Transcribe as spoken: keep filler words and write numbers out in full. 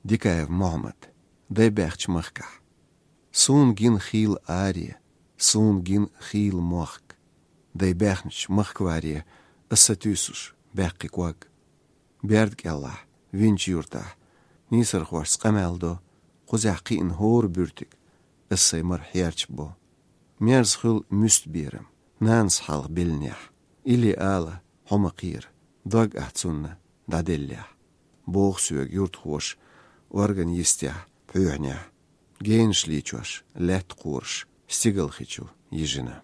Дикаев Мухьаммад. Дай баьхча махкахь. Суна гина хийла аре, суна гина хийла мохк. Дай баьхнача махкаваре, аса туьйсуш баьккхи ког. Берда кӀеллахь, винчу юртахь, нийсархошца къамел до, кхузехь кхиъна хӀора буьртиг, аса сай мара хьерча бо. Мерза хуьлу муьста берам, нанас хьалха беллинехь, или ала, хьо ма кхера, дог ахь цунна дӀаделлехь. Боху соьга юртахоша, орган йистехь, пхьоьхьнехь, генаш лийчош, лаьтта кхораш, стигалхи чу йижина.